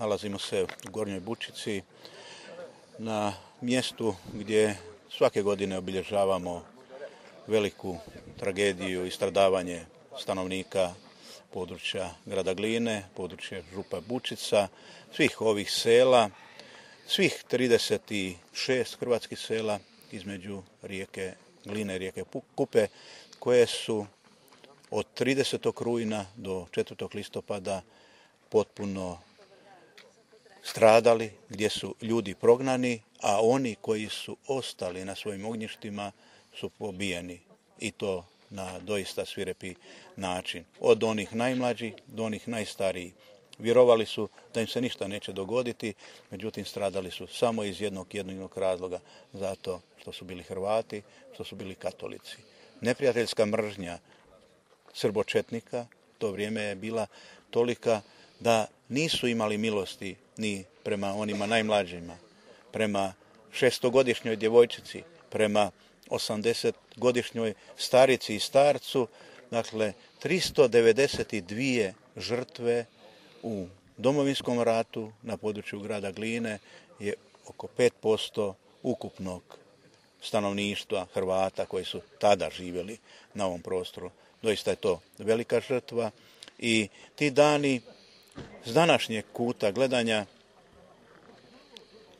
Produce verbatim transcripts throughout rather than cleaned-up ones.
Nalazimo se u Gornjoj Bučici na mjestu gdje svake godine obilježavamo veliku tragediju i stradavanje stanovnika područja grada Gline, područja Župa Bučica, svih ovih sela, svih trideset šest hrvatskih sela između rijeke Gline i rijeke Kupe, koje su od tridesetog rujna do četvrtog listopada potpuno stradali, gdje su ljudi prognani, a oni koji su ostali na svojim ognjištima su pobijeni, i to na doista svirepi način. Od onih najmlađih do onih najstarijih. Vjerovali su da im se ništa neće dogoditi, međutim stradali su samo iz jednog jedinog razloga, zato što su bili Hrvati, što su bili katolici. Neprijateljska mržnja srbočetnika to vrijeme je bila tolika da nisu imali milosti ni prema onima najmlađima, prema šestogodišnjoj djevojčici, prema osamdesetgodišnjoj starici i starcu. Dakle, tristo devedeset dvije žrtve u Domovinskom ratu na području grada Gline je oko pet posto ukupnog stanovništva Hrvata koji su tada živjeli na ovom prostoru. Doista je to velika žrtva i ti dani s današnjeg kuta gledanja,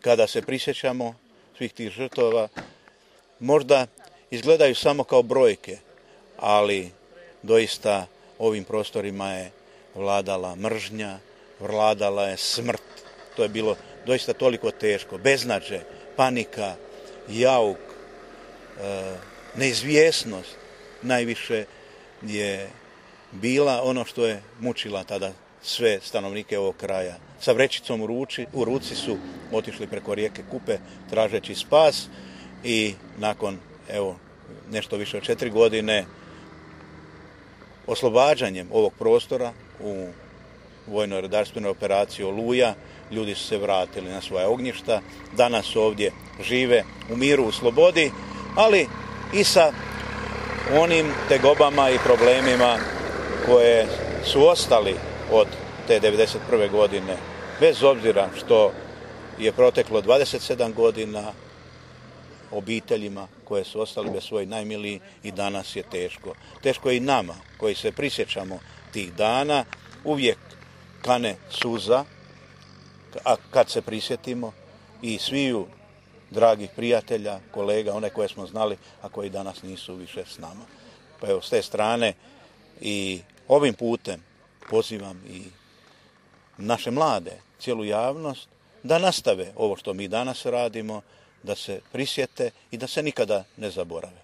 kada se prisjećamo svih tih žrtava, možda izgledaju samo kao brojke, ali doista ovim prostorima je vladala mržnja, vladala je smrt. To je bilo doista toliko teško. Beznađe, panika, jauk, e, neizvjesnost najviše je bila ono što je mučila tada sve stanovnike ovog kraja. Sa vrećicom u, ruči, u ruci su otišli preko rijeke Kupe tražeći spas i nakon evo nešto više od četiri godine oslobađanjem ovog prostora u vojno-redarstvenoj operaciji Oluja ljudi su se vratili na svoja ognjišta. Danas ovdje žive u miru, u slobodi, ali i sa onim tegobama i problemima koje su ostali od te devedeset prve godine. Bez obzira što je proteklo dvadeset sedam godina, obiteljima koje su ostali bez svojih najmilijih i danas je teško. Teško je i nama koji se prisjećamo tih dana, uvijek kane suza, a kad se prisjetimo i sviju dragih prijatelja, kolega, one koje smo znali, a koji danas nisu više s nama. Pa evo, s te strane i ovim putem pozivam i naše mlade, cijelu javnost, da nastave ovo što mi danas radimo, da se prisjete i da se nikada ne zaborave.